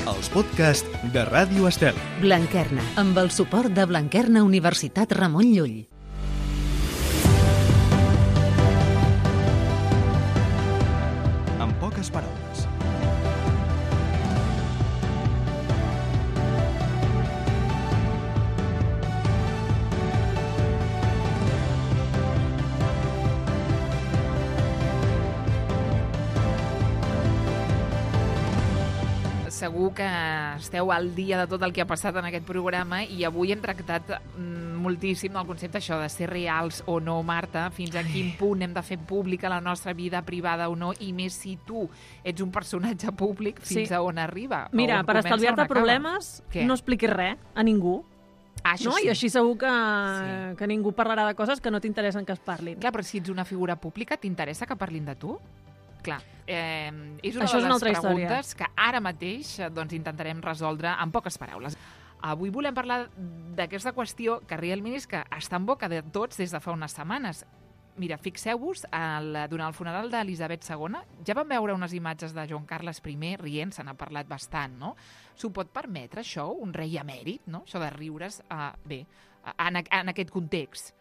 els podcasts de Ràdio Estel. Blanquerna, amb el suport de Blanquerna Universitat Ramon Llull. En poques paraules. Segur que esteu al dia de tot el que ha passat en aquest programa i avui hem tractat moltíssim el concepte això de ser reals o no, Marta, fins a quin punt hem de fer pública la nostra vida privada o no, i més si tu ets un personatge públic, fins a on arriba. Mira, per estalviar-te problemes, no expliquis res a ningú. Això no? sí. I així segur que ningú parlarà de coses que no t'interessen que es parlin. Clar, però si ets una figura pública, t'interessa que parlin de tu? Clar, és una Això de és una les altra preguntes història. que ara mateix intentarem resoldre en poques paraules. Avui volem parlar d'aquesta qüestió que realment és que està en boca de tots des de fa unes setmanes. Mira, fixeu-vos, durant el funeral d'Elisabet II ja vam veure unes imatges de Joan Carles I rient, se n'ha parlat bastant, no? S'ho pot permetre, això, un rei emèrit, no? Això de riure's, en aquest context.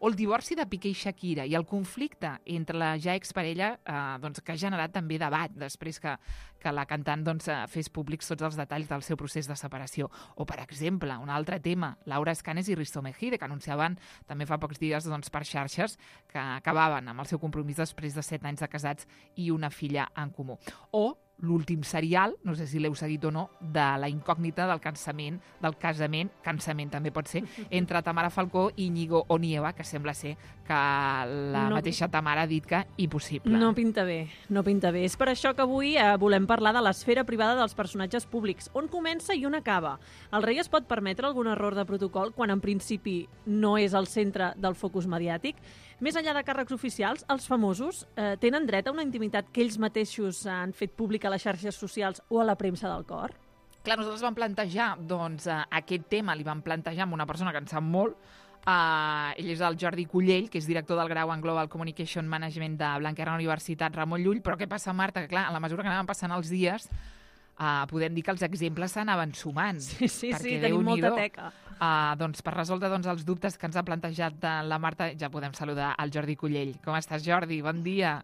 O el divorci de Piqué i Shakira i el conflicte entre la ja exparella que ha generat també debat després que la cantant fes públics tots els detalls del seu procés de separació. O, per exemple, un altre tema, Laura Escanes i Risto Mejide, que anunciaven també fa pocs dies per xarxes que acabaven amb el seu compromís després de 7 anys de casats i una filla en comú. O l'últim serial, no sé si l'heu seguit o no, de la incògnita del cansament també pot ser, entre Tamara Falcó i Íñigo Onieva, que sembla ser que la mateixa Tamara ha dit que impossible. No pinta bé, no pinta bé. És per això que avui volem parlar de l'esfera privada dels personatges públics, on comença i on acaba. El rei es pot permetre algun error de protocol quan en principi no és el centre del focus mediàtic? Més enllà de càrrecs oficials, els famosos tenen dret a una intimitat que ells mateixos han fet pública a les xarxes socials o a la premsa del cor? Clar, nosaltres vam plantejar, aquest tema li vam plantejar amb una persona que en sap molt. Ell és el Jordi Cullell, que és director del grau en Global Communication Management de Blanquerna Universitat Ramon Llull. Però què passa, Marta? Que clar, a la mesura que anaven passant els dies, podem dir que els exemples s'anaven sumant. Sí, tenim molta teca. Per resoldre els dubtes que ens ha plantejat la Marta, ja podem saludar el Jordi Cullell. Com estàs, Jordi? Bon dia.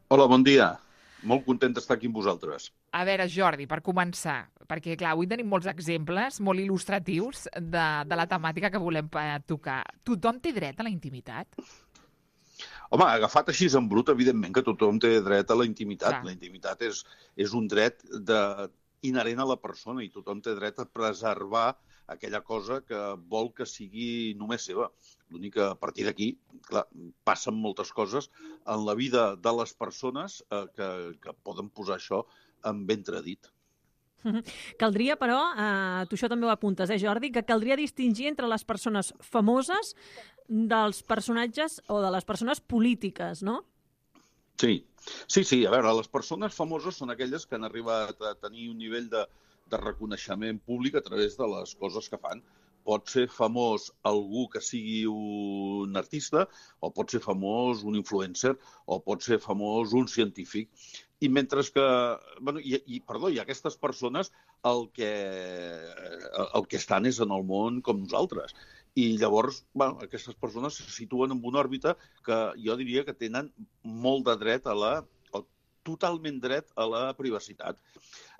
Hola, bon dia. Molt content d'estar aquí amb vosaltres. A veure, Jordi, per començar, perquè clar, avui tenim molts exemples molt il·lustratius de la temàtica que volem tocar. Tothom té dret a la intimitat? Home, agafat així en brut, evidentment que tothom té dret a la intimitat. Clar. La intimitat és un dret inherent a la persona i tothom té dret a preservar aquella cosa que vol que sigui només seva. L'únic que a partir d'aquí, clar, passen moltes coses en la vida de les persones que poden posar això en entredit. Caldria, però, tu això també ho apuntes, Jordi, que caldria distingir entre les persones famoses dels personatges o de les persones polítiques, no? Sí. A veure, les persones famoses són aquelles que han arribat a tenir un nivell de reconeixement públic a través de les coses que fan. Pot ser famós algú que sigui un artista, o pot ser famós un influencer, o pot ser famós un científic. I mentre que... I aquestes persones el que estan és en el món com nosaltres. I llavors, aquestes persones se situen en una òrbita que jo diria que tenen molt de dret totalment dret a la privacitat.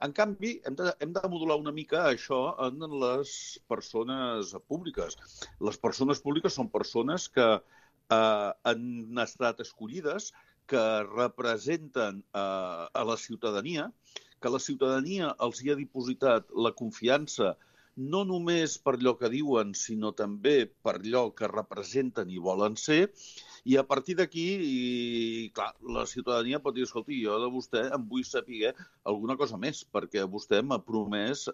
En canvi, hem de modular una mica això en les persones públiques. Les persones públiques són persones que han estat escollides, que representen a la ciutadania, que la ciutadania els hi ha dipositat la confiança no només per allò que diuen, sinó també per allò que representen i volen ser. I a partir d'aquí, clar, la ciutadania pot dir, escolti, jo de vostè em vull saber alguna cosa més, perquè vostè m'ha promès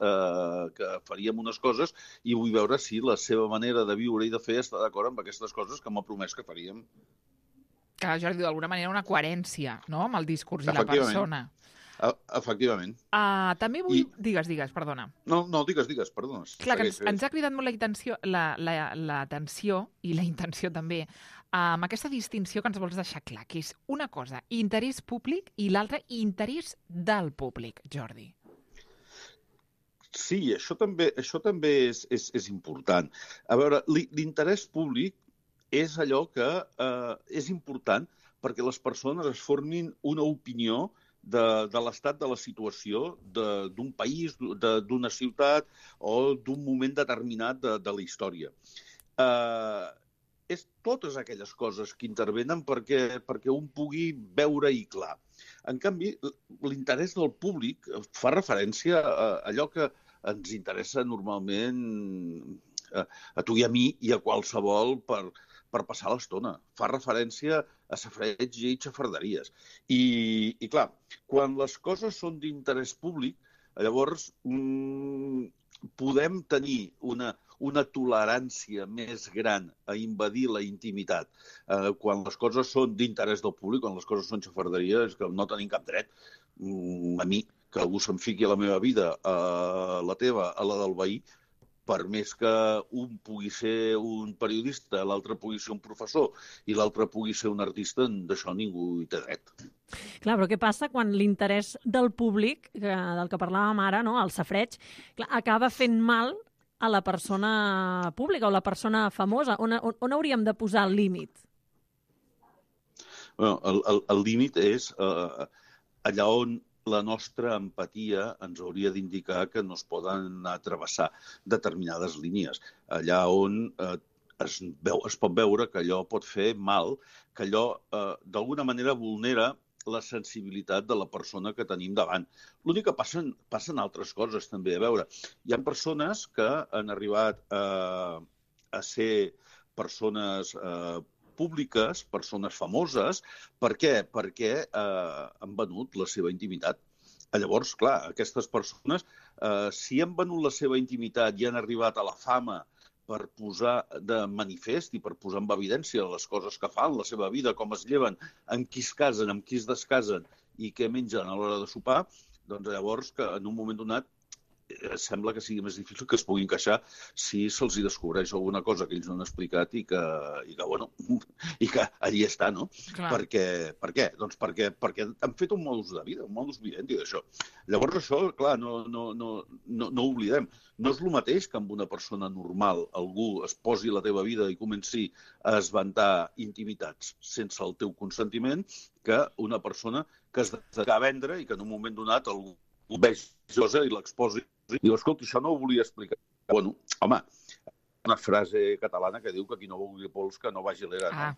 que faríem unes coses i vull veure si la seva manera de viure i de fer està d'acord amb aquestes coses que m'ha promès que faríem. Que, Jordi, d'alguna manera una coherència, no?, amb el discurs i la persona. Efectivament. També vull... Digues, perdona. No, digues, perdona. Clar, que ens ha cridat molt l'atenció i la intenció també, amb aquesta distinció que ens vols deixar clar, que és una cosa interès públic i l'altra interès del públic, Jordi. Sí, això també és important. A veure, l'interès públic és allò que és important perquè les persones es formin una opinió de l'estat de la situació d'un país, d'una ciutat o d'un moment determinat de la història. És totes aquelles coses que intervenen perquè un pugui veure-hi clar. En canvi, l'interès del públic fa referència a allò que ens interessa normalment a tu i a mi i a qualsevol per passar l'estona. Fa referència a safareig i xafarderies. I clar, quan les coses són d'interès públic, llavors podem tenir una tolerància més gran a invadir la intimitat. Quan les coses són d'interès del públic, quan les coses són xafarderies, que no tenim cap dret, a mi, que algú se'm fiqui a la meva vida, a la teva, a la del veí, per més que un pugui ser un periodista, l'altre pugui ser un professor i l'altre pugui ser un artista, d'això ningú hi té dret. Clar, però què passa quan l'interès del públic, del que parlàvem ara, no, el safareig, acaba fent mal a la persona pública o la persona famosa? On hauríem de posar el límit? El límit és allà on la nostra empatia ens hauria d'indicar que no es poden travessar determinades línies. Allà on es pot veure que allò pot fer mal, que allò d'alguna manera vulnera la sensibilitat de la persona que tenim davant. L'únic que passen altres coses també. A veure, hi ha persones que han arribat a ser persones públiques, persones famoses. Per què? Perquè han venut la seva intimitat. Llavors, clar, aquestes persones, si han venut la seva intimitat i han arribat a la fama per posar de manifest i per posar en evidència les coses que fan, la seva vida, com es lleven, amb qui es casen, amb qui es descasen i què mengen a l'hora de sopar, doncs llavors que en un moment donat sembla que sigui més difícil que es puguin queixar si se'ls hi descobreix alguna cosa que ells no han explicat i que allí està, no? Clar. Per què? Doncs perquè han fet un modus de vida, un modus vivendi d'això. Llavors això, clar, no ho oblidem. No és el mateix que amb una persona normal algú es posi la teva vida i comenci a esventar intimitats sense el teu consentiment que una persona que es dedica a vendre i que en un moment donat algú vegi cosa i l'exposi. I diu, escolta, això no ho volia explicar. Bueno, home, una frase catalana que diu que qui no vulgui pols que no vagi a l'era.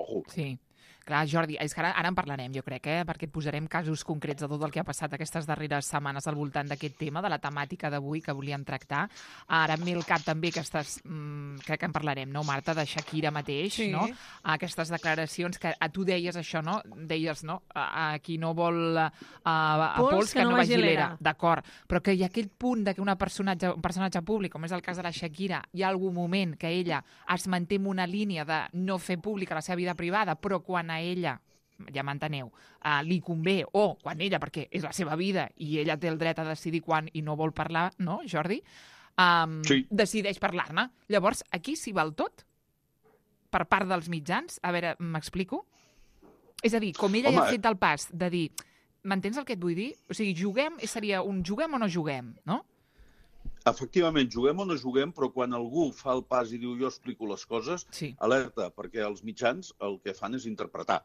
Ojo. Sí. Clar, Jordi, és que ara en parlarem, jo crec, perquè et posarem casos concrets de tot el que ha passat aquestes darreres setmanes al voltant d'aquest tema, de la temàtica d'avui que volíem tractar. Ara em ve el cap també aquestes, crec que en parlarem, no, Marta, de Shakira mateix, sí. No? Aquestes declaracions que tu deies això, no? Deies, no? A qui no vol pols que no vagi a l'era. D'acord, però que hi ha aquell punt de que un personatge públic, com és el cas de la Shakira, hi ha algun moment que ella es manté en una línia de no fer pública la seva vida privada, però quan a ella, ja m'enteneu, li convé, o quan ella, perquè és la seva vida i ella té el dret a decidir quan i no vol parlar, no, Jordi? Sí. Decideix parlar-ne. Llavors, aquí s'hi val tot? Per part dels mitjans? A veure, m'explico? És a dir, com ella ja ha fet el pas de dir, m'entens el que et vull dir? O sigui, seria un juguem o no juguem, no? Efectivament, juguem o no juguem, però quan algú fa el pas i diu jo explico les coses, sí. Alerta, perquè els mitjans el que fan és interpretar.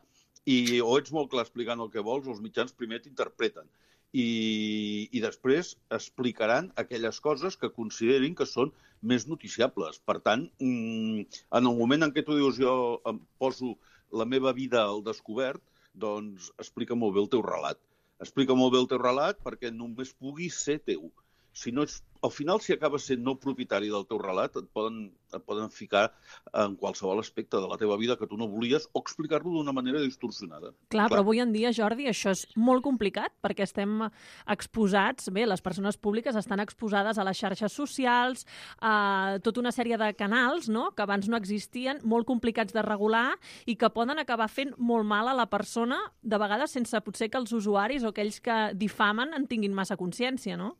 I o ets molt clar explicant el que vols, els mitjans primer t'interpreten. I després explicaran aquelles coses que considerin que són més noticiables. Per tant, en el moment en què tu dius jo em poso la meva vida al descobert, doncs explica molt bé el teu relat. Explica molt bé el teu relat perquè només pugui ser teu. Si no ets, al final, si acabes sent no propietari del teu relat, et poden ficar en qualsevol aspecte de la teva vida que tu no volies o explicar-lo d'una manera distorsionada. Clar, però avui en dia, Jordi, això és molt complicat perquè estem exposats, bé, les persones públiques estan exposades a les xarxes socials, a tota una sèrie de canals, no?, que abans no existien, molt complicats de regular i que poden acabar fent molt mal a la persona, de vegades sense potser que els usuaris o aquells que difamen en tinguin massa consciència, no?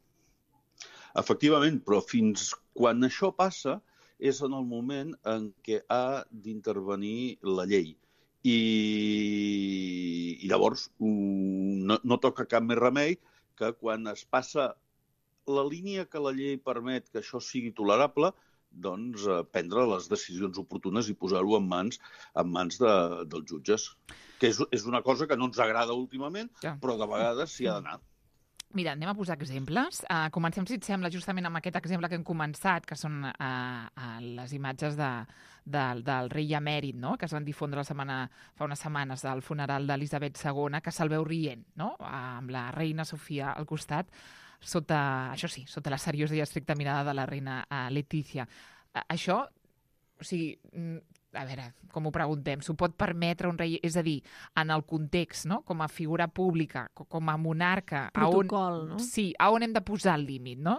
Efectivament, però fins quan això passa és en el moment en què ha d'intervenir la llei. I llavors no toca cap més remei que quan es passa la línia que la llei permet que això sigui tolerable, doncs prendre les decisions oportunes i posar-ho en mans dels jutges. Que és una cosa que no ens agrada últimament, però de vegades s'hi ha d'anar. Mira, anem a posar exemples. Comencem, si et sembla, justament amb aquest exemple que hem començat, que són les imatges del rei emèrit, no?, que es van difondre fa unes setmanes del funeral d'Elisabet II, que se'l veu rient, no?, amb la reina Sofia al costat, sota la seriosa i estricta mirada de la reina Letícia. Això, o sigui, a veure, com ho preguntem, s'ho pot permetre un rei? És a dir, en el context, no?, com a figura pública, com a monarca... Protocol, no? Sí, a on hem de posar el límit, no?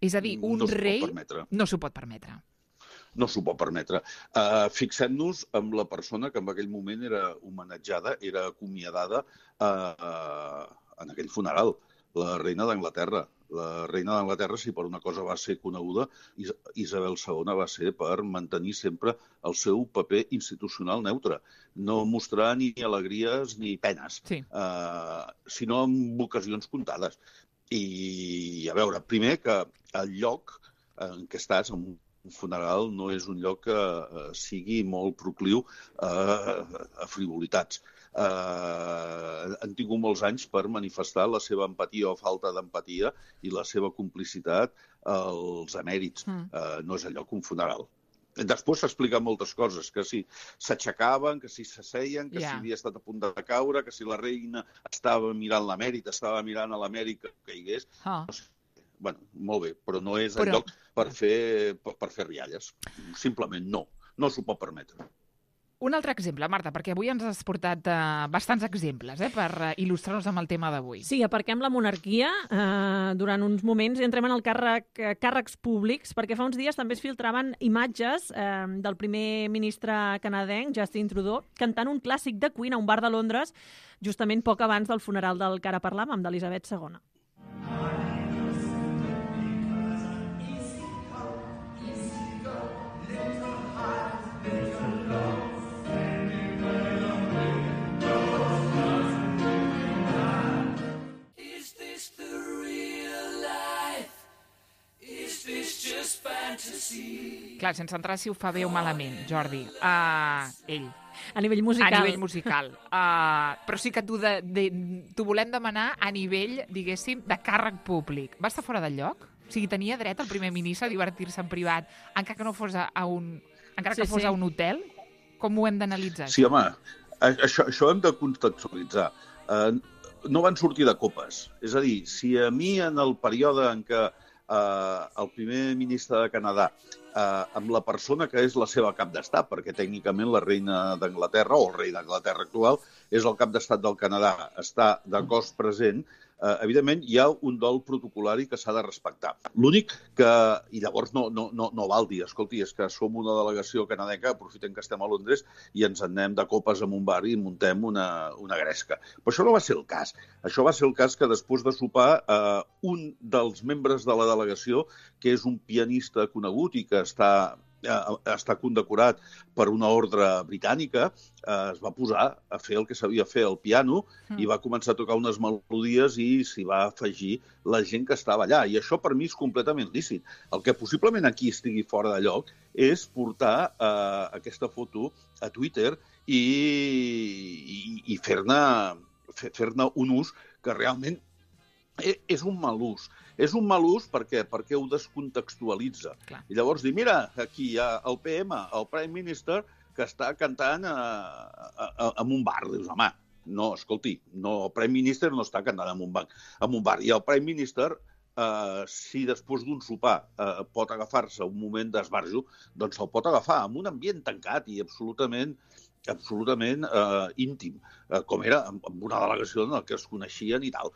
És a dir, un rei no s'ho pot permetre. No s'ho pot permetre. Fixem-nos en la persona que en aquell moment era homenatjada, era acomiadada en aquell funeral, la reina d'Anglaterra. La reina d'Anglaterra, si per una cosa va ser coneguda, Isabel II va ser per mantenir sempre el seu paper institucional neutre. No mostrar ni alegries ni penes, sinó en ocasions comptades. I, a veure, primer que el lloc en què estàs, en un funeral, no és un lloc que sigui molt procliu a frivolitats. Han tingut molts anys per manifestar la seva empatia o falta d'empatia i la seva complicitat als emèrits. No és allò que un funeral. Després s'expliquen moltes coses, que si s'aixecaven, que si s'asseien, que si havia estat a punt de caure, que si la reina estava mirant l'emèrit, estava mirant a l'emèrit que caigués. Bueno, molt bé, però no és el lloc per fer rialles. Simplement no s'ho pot permetre. Un altre exemple, Marta, perquè avui ens has portat bastants exemples per il·lustrar-nos amb el tema d'avui. Sí, aparquem la monarquia durant uns moments i entrem en el càrrecs públics, perquè fa uns dies també es filtraven imatges del primer ministre canadenc, Justin Trudeau, cantant un clàssic de Queen a un bar de Londres, justament poc abans del funeral del que ara parlàvem, d'Elisabet II. Clar, sense entrar si ho fa bé o malament, Jordi. Ell. A nivell musical. A nivell musical. Però sí que t'ho volem demanar a nivell, diguéssim, de càrrec públic. Va estar fora del lloc? O sigui, tenia dret el primer ministre a divertir-se en privat, encara que no fos a un hotel? Com ho hem d'analitzar? Sí, home, això hem de contextualitzar. No van sortir de copes. És a dir, si a mi en el període en què el primer ministre de Canadà, amb la persona que és la seva cap d'estat, perquè tècnicament la reina d'Anglaterra, o el rei d'Anglaterra actual, és el cap d'estat del Canadà, està de cos present, evidentment hi ha un dol protocolari que s'ha de respectar. L'únic que, i llavors no val dir, escolti, és que som una delegació canadenca, aprofitem que estem a Londres i ens anem de copes en un bar i muntem una gresca. Però això no va ser el cas. Això va ser el cas que després de sopar un dels membres de la delegació, que és un pianista conegut i que està condecorat per una ordre britànica, es va posar a fer el que sabia fer al piano i va començar a tocar unes melodies i s'hi va afegir la gent que estava allà. I això per mi és completament lícit. El que possiblement aquí estigui fora de lloc és portar aquesta foto a Twitter i fer-ne un ús que realment és un mal ús. És un mal ús perquè ho descontextualitza. Clar. I llavors dir, mira, aquí hi ha el PM, el Prime Minister, que està cantant en un bar. Dius, home, no, escolti, el Prime Minister no està cantant en un bar. I el Prime Minister, si després d'un sopar pot agafar-se un moment d'esbarjo, doncs se'l pot agafar en un ambient tancat i absolutament íntim, com era amb una delegació en què es coneixien i tal.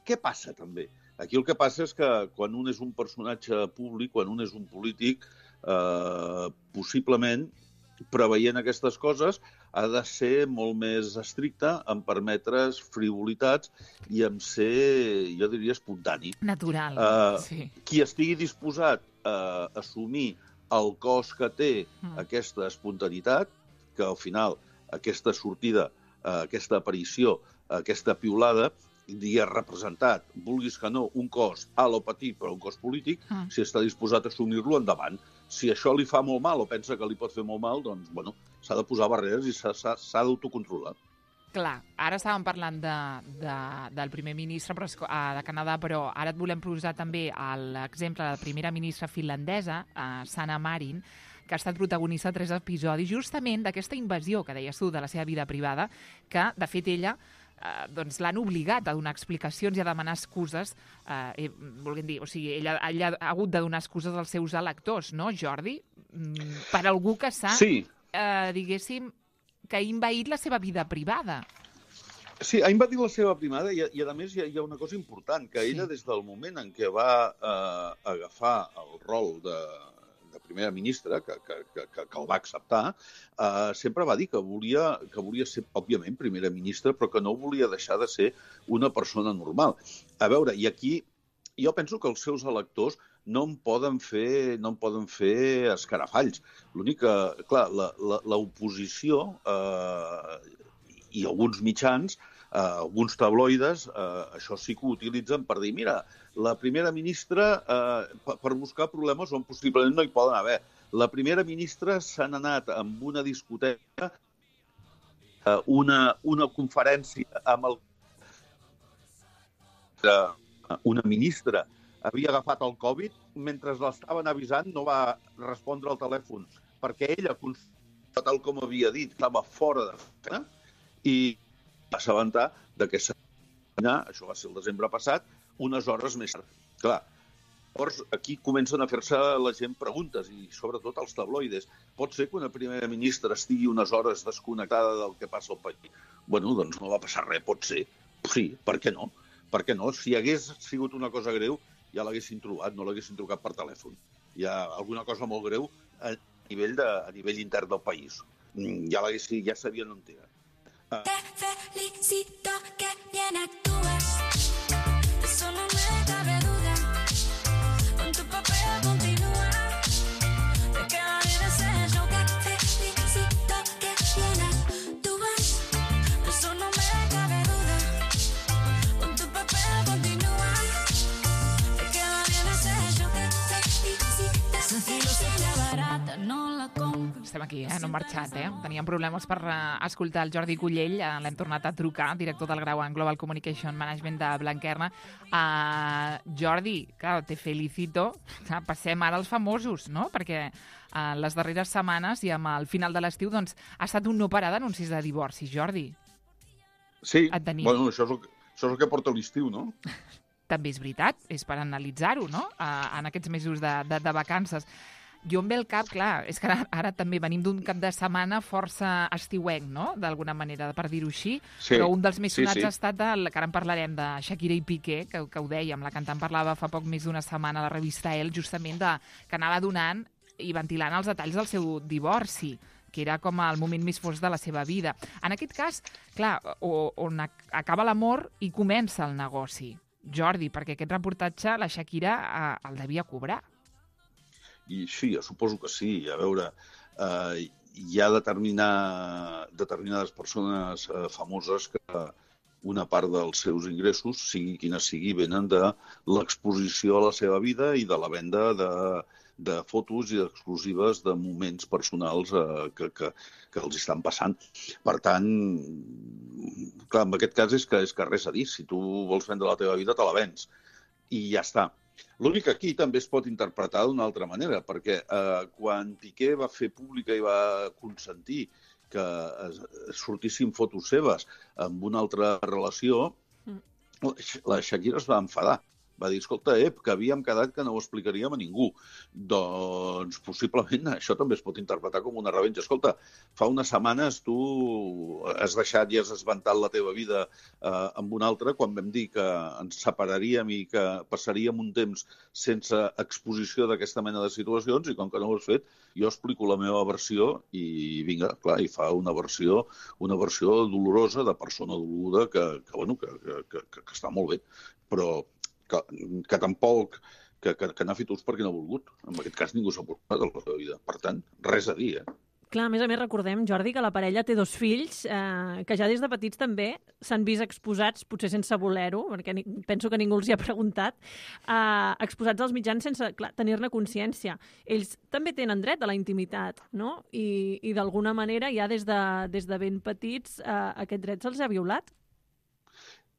Què passa, també? Aquí el que passa és que quan un és un personatge públic, quan un és un polític, possiblement, preveient aquestes coses, ha de ser molt més estricte en permetre's frivolitats i en ser, jo diria, espontani. Natural, sí. Qui estigui disposat a assumir el cost que té aquesta espontaneïtat, que al final aquesta sortida, aquesta aparició, aquesta piulada, ha representat, vulguis que no, un cost alt o petit, però un cost polític, si està disposat a assumir-lo, endavant. Si això li fa molt mal o pensa que li pot fer molt mal, doncs, bueno, s'ha de posar barreres i s'ha d'autocontrolar. Clar, ara estàvem parlant del primer ministre de Canadà, però ara et volem posar també l'exemple de la primera ministra finlandesa, Sanna Marin, que ha estat protagonista de 3 episodis justament d'aquesta invasió que deies tu de la seva vida privada, que, de fet, ella doncs l'han obligat a donar explicacions i a demanar excuses, volguem dir, o sigui, ella ha hagut de donar excuses als seus electors, no, Jordi? Per algú que s'ha, diguéssim, que ha invaït la seva vida privada. Sí, ha invadit la seva privada i a més hi ha una cosa important, que ella des del moment en què va agafar el rol de primera ministra, que el va acceptar, sempre va dir que volia ser, òbviament, primera ministra, però que no volia deixar de ser una persona normal. A veure, i aquí jo penso que els seus electors no en poden fer escarafalls. L'únic que, clar, l'oposició i alguns mitjans, alguns tabloides, això sí que ho utilitzen per dir, mira, la primera ministra, per buscar problemes on possiblement no hi poden haver. La primera ministra s'han anat amb una discoteca, una conferència amb una ministra havia agafat el Covid, mentre l'estaven avisant no va respondre al telèfon, perquè ella, tal com havia dit, estava fora de feina i va assabentar que això va ser el desembre passat, unes hores més tard. Clar, llavors aquí comencen a fer-se la gent preguntes i sobretot els tabloides. Pot ser que una primera ministra estigui unes hores desconnectada del que passa al país? Bueno, doncs no va passar res, pot ser. Sí, per què no? Per què no? Si hagués sigut una cosa greu, ja l'haguessin trobat, no l'haguessin trucat per telèfon. Hi ha alguna cosa molt greu a nivell intern del país. Ja sabien on era. Te felicito que bien actúas, eso no me cabe duda, con tu papel continúa, te queda bien ese show. Te felicito que bien actúas, eso no me cabe duda, con tu papel continúa, te queda bien ese show. Te felicito, sencillo, sencilla, barata, no la compro. Estem aquí, no hem marxat, Teníem problemes per escoltar el Jordi Cullell, l'hem tornat a trucar, director del grau en Global Communication Management de Blanquerna. Jordi, clar, te felicito. Passem ara als famosos, no? Perquè les darreres setmanes i amb el final de l'estiu doncs, ha estat un no parar d'anuncis de divorci, Jordi. Sí, bueno, això és el que porta l'estiu, no? També és veritat, és per analitzar-ho, no? En aquests mesos de vacances. Jo em ve el cap, clar, és que ara també venim d'un cap de setmana força estiuenc, no?, d'alguna manera, per dir-ho així, sí, però un dels més sonats ha estat, que ara en parlarem, de Shakira i Piqué, que ho dèiem, la cantant parlava fa poc més d'una setmana a la revista Elle, justament que anava donant i ventilant els detalls del seu divorci, que era com el moment més fosc de la seva vida. En aquest cas, clar, on acaba l'amor i comença el negoci. Jordi, perquè aquest reportatge la Shakira el devia cobrar. I sí, jo suposo que sí. A veure, hi ha determinades persones famoses que una part dels seus ingressos, sigui quina sigui, venen de l'exposició a la seva vida i de la venda de fotos i exclusives de moments personals que els estan passant. Per tant, clar, en aquest cas és que res a dir. Si tu vols vendre la teva vida, te la vens. I ja està. L'únic que aquí també es pot interpretar d'una altra manera, perquè quan Piqué va fer pública i va consentir que sortissin fotos seves amb una altra relació, la Shakira es va enfadar. Va dir, escolta, que havíem quedat que no ho explicaríem a ningú. Doncs possiblement això també es pot interpretar com una revenja. Escolta, fa unes setmanes tu has deixat i has esventat la teva vida amb una altra quan vam dir que ens separaríem i que passaríem un temps sense exposició d'aquesta mena de situacions i com que no ho has fet, jo explico la meva versió i vinga, clar, i fa una versió dolorosa de persona doluda que està molt bé, però que tampoc que n'ha fet ús perquè no ha volgut. En aquest cas ningú s'ha portat a la seva vida. Per tant, res a dir, Clar, a més recordem, Jordi, que la parella té 2 fills que ja des de petits també s'han vist exposats, potser sense voler-ho, perquè penso que ningú els hi ha preguntat, exposats als mitjans sense tenir-ne consciència. Ells també tenen dret a la intimitat, no? I d'alguna manera ja des de ben petits aquest dret se'ls ha violat.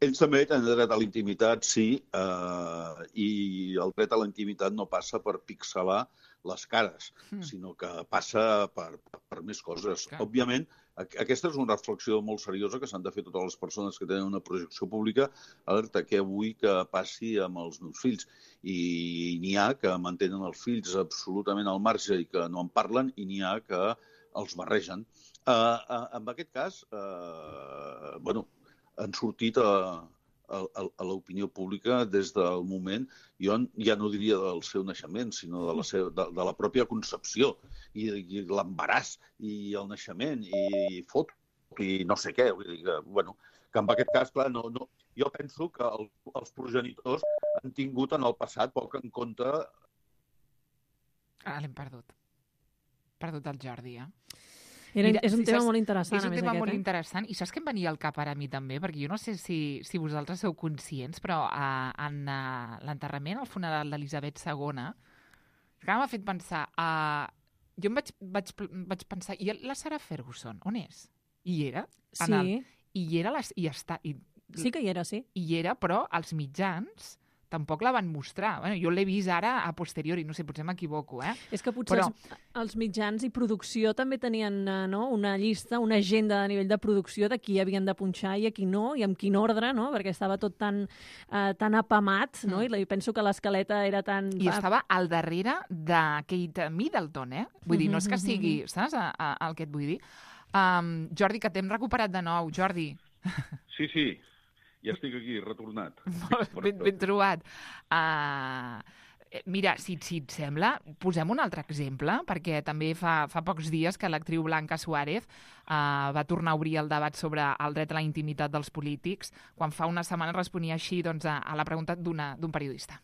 Ells també tenen dret a la intimitat, sí, i el dret a la intimitat no passa per pixelar les cares, sinó que passa per més coses. Clar. Òbviament, aquesta és una reflexió molt seriosa que s'han de fer totes les persones que tenen una projecció pública. Alerta, què vull que passi amb els meus fills? I n'hi ha que mantenen els fills absolutament al marge i que no en parlen, i n'hi ha que els barregen. En aquest cas, han sortit a l'opinió pública des del moment, jo ja no diria del seu naixement, sinó de la pròpia concepció, i l'embaràs, i el naixement, i foto, i no sé què. Vull dir que en aquest cas, clar, jo penso que els progenitors han tingut en el passat poc en compte... L'hem perdut. Perdut el Jordi, És un tema molt interessant, És un a més, tema aquest. molt interessant. I saps què em venia al cap ara a mi també? Perquè jo no sé si vosaltres sou conscients, però en l'enterrament, al funeral d'Elisabet II, que m'ha fet pensar... Jo em vaig pensar, i la Sarah Ferguson, on és? I hi era? Sí. I hi era, i està... Sí que hi era, sí. I hi era, però els mitjans tampoc la van mostrar. Bueno, jo l'he vist ara a posteriori, no sé, potser m'equivoco, És que potser els mitjans i producció també tenien una llista, una agenda a nivell de producció de qui havien de punxar i a qui no, i amb quin ordre, no? Perquè estava tot tan apamat, no? I penso que l'escaleta era tan... I estava al darrere de Kate Middleton, Vull dir, no és que sigui... Saps el que et vull dir? Jordi, que t'hem recuperat de nou. Jordi. Sí. Ja estic aquí, retornat. Ben trobat. Mira, si et sembla, posem un altre exemple, perquè també fa pocs dies que l'actriu Blanca Suárez va tornar a obrir el debat sobre el dret a la intimitat dels polítics, quan fa una setmana responia així a la pregunta d'un periodista.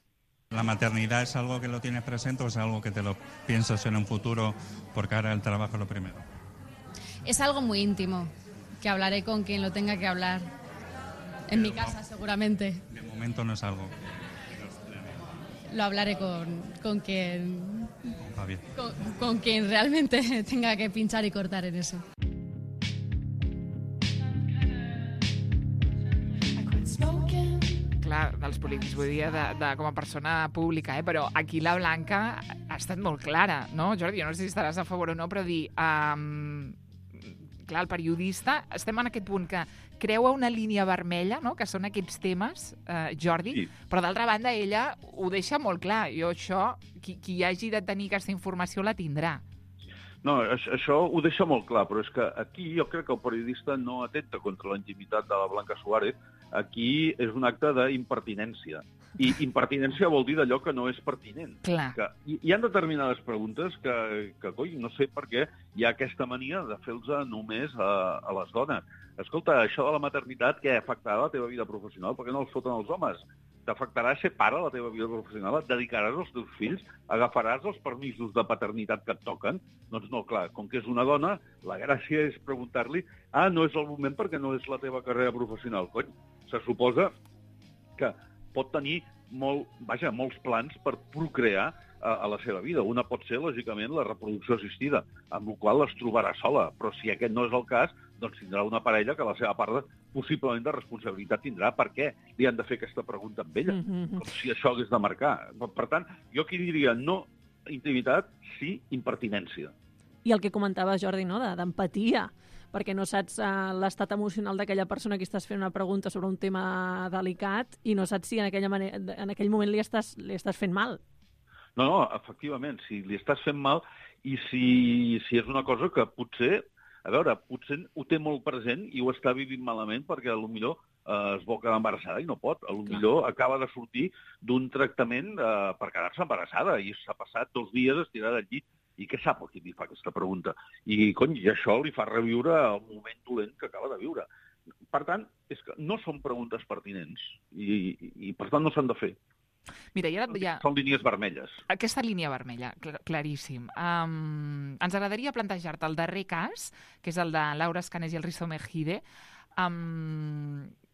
¿La maternidad es algo que lo tienes presente o es algo que te lo piensas en un futuro porque ahora el trabajo es lo primero? Es algo muy íntimo, que hablaré con quien lo tenga que hablar. En mi casa, seguramente. De momento no es algo. Lo hablaré con quien... Con Javier. Con quien realmente tenga que pinchar y cortar en eso. Clar, dels polítics, vull dir, com a persona pública, però aquí la Blanca ha estat molt clara, no, Jordi? Jo no sé si estaràs a favor o no, però dir... Clar, el periodista, estem en aquest punt que creua una línia vermella, no?, que són aquests temes, Jordi, sí. Però d'altra banda ella ho deixa molt clar. Jo això, qui hagi de tenir aquesta informació la tindrà. No, això ho deixa molt clar, però és que aquí jo crec que el periodista no atenta contra la intimitat de la Blanca Suárez. Aquí és un acte d'impertinència. I impertinència vol dir d'allò que no és pertinent. Clar. Que hi ha determinades preguntes que coi, no sé per què hi ha aquesta mania de fer-los només a les dones. Escolta, això de la maternitat, què afectarà la teva vida professional? Per què no els foten els homes? T'afectarà ser pare a la teva vida professional? Et dedicaràs als teus fills? Agafaràs els permisos de paternitat que et toquen? Doncs no, clar, com que és una dona, la gràcia és preguntar-li no és el moment perquè no és la teva carrera professional. Cony, se suposa que pot tenir molts plans per procrear a la seva vida. Una pot ser, lògicament, la reproducció assistida, amb la qual es trobarà sola. Però si aquest no és el cas, doncs tindrà una parella que la seva part possiblement de responsabilitat tindrà. Per què li han de fer aquesta pregunta amb ella? Com si això hagués de marcar. Per tant, jo aquí diria no intimitat, sí impertinència. I el que comentava Jordi, no?, d'empatia, perquè no saps l'estat emocional d'aquella persona que estàs fent una pregunta sobre un tema delicat i no saps si en aquell moment li estàs fent mal. No, efectivament, si li estàs fent mal i si és una cosa que potser ho té molt present i ho està vivint malament perquè potser es vol quedar embarassada i no pot. Potser acaba de sortir d'un tractament per quedar-se embarassada i s'ha passat 2 dies estirada al llit. I què sap el qui li fa aquesta pregunta? I això li fa reviure el moment dolent que acaba de viure. Per tant, és que no són preguntes pertinents i per tant no s'han de fer. Mira, Són línies vermelles. Aquesta línia vermella, claríssim. Ens agradaria plantejar-te el darrer cas, que és el de Laura Escanes i el Risto Mejide,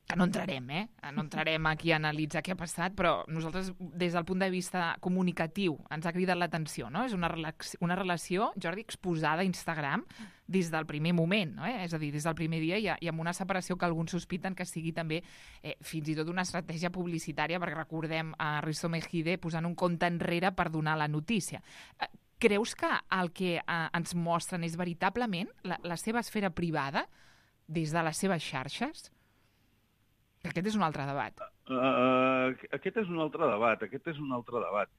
que no entrarem, No entrarem aquí a analitzar què ha passat, però nosaltres, des del punt de vista comunicatiu, ens ha cridat l'atenció, no? És una relació, Jordi, exposada a Instagram des del primer moment, no? És a dir, des del primer dia i amb una separació que alguns sospiten que sigui també fins i tot una estratègia publicitària, perquè recordem a Risto Mejide posant un compte enrere per donar la notícia. Creus que el que ens mostren és veritablement la seva esfera privada des de les seves xarxes? Aquest és un altre debat. Aquest és un altre debat.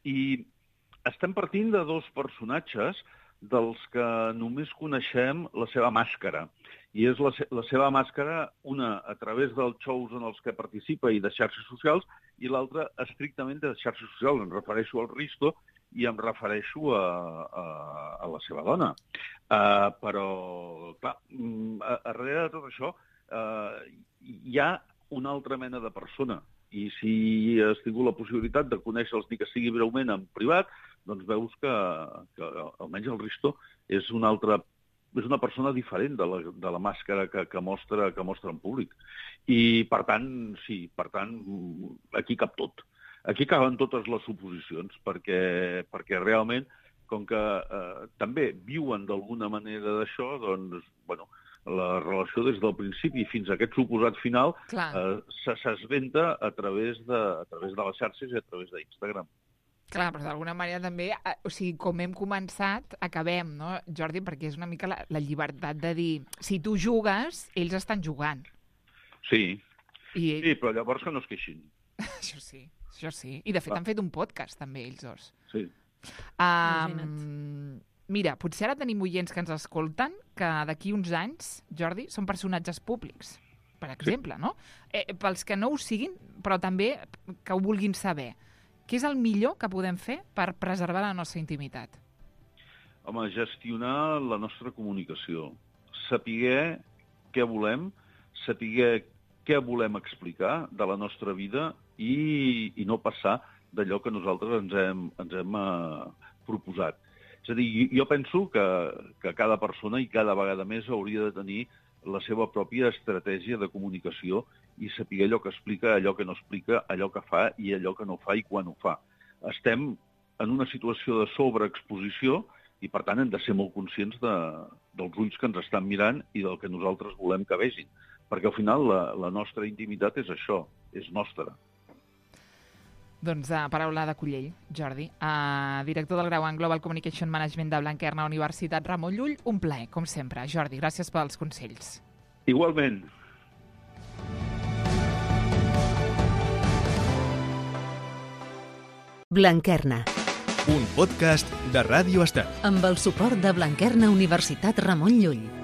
I estem partint de dos personatges dels que només coneixem la seva màscara. I és la seva màscara, una a través dels shows en els que participa i de xarxes socials, i l'altra estrictament de xarxes socials. Em refereixo al Risto i em refereixo a la seva dona. Però, clar, darrere de tot això hi ha una altra mena de persona. I si has tingut la possibilitat de conèixer-los ni que sigui breument en privat, doncs veus que almenys el Risto és una persona diferent de la màscara que mostra en públic. I, per tant, aquí cap tot. Aquí caben totes les suposicions, perquè realment, com que també viuen d'alguna manera d'això, doncs, bueno, la relació des del principi fins a aquest suposat final s'esventa a través de les xarxes i a través d'Instagram. Clar, però d'alguna manera també, o sigui, com hem començat, acabem, no, Jordi? Perquè és una mica la llibertat de dir, si tu jugues, ells estan jugant. Sí, però llavors que no es queixin. Això sí. I de fet han fet un podcast també, ells dos. Sí. Mira, potser ara tenim oients que ens escolten que d'aquí uns anys, Jordi, són personatges públics, per exemple, no? Pels que no ho siguin, però també que ho vulguin saber. Què és el millor que podem fer per preservar la nostra intimitat? Home, gestionar la nostra comunicació. Saber què volem, saber què volem explicar de la nostra vida i no passar d'allò que nosaltres ens hem proposat. És a dir, jo penso que cada persona i cada vegada més hauria de tenir la seva pròpia estratègia de comunicació i saber allò que explica, allò que no explica, allò que fa i allò que no fa i quan ho fa. Estem en una situació de sobreexposició i, per tant, hem de ser molt conscients dels ulls que ens estan mirant i del que nosaltres volem que vegin. Perquè, al final, la nostra intimitat és això, és nostra. Doncs paraula de Cullell, Jordi, director del grau en Global Communication Management de Blanquerna, Universitat Ramon Llull. Un plaer, com sempre. Jordi, gràcies pels consells. Igualment. Blanquerna. Un podcast de Ràdio Estel. Amb el suport de Blanquerna Universitat Ramon Llull.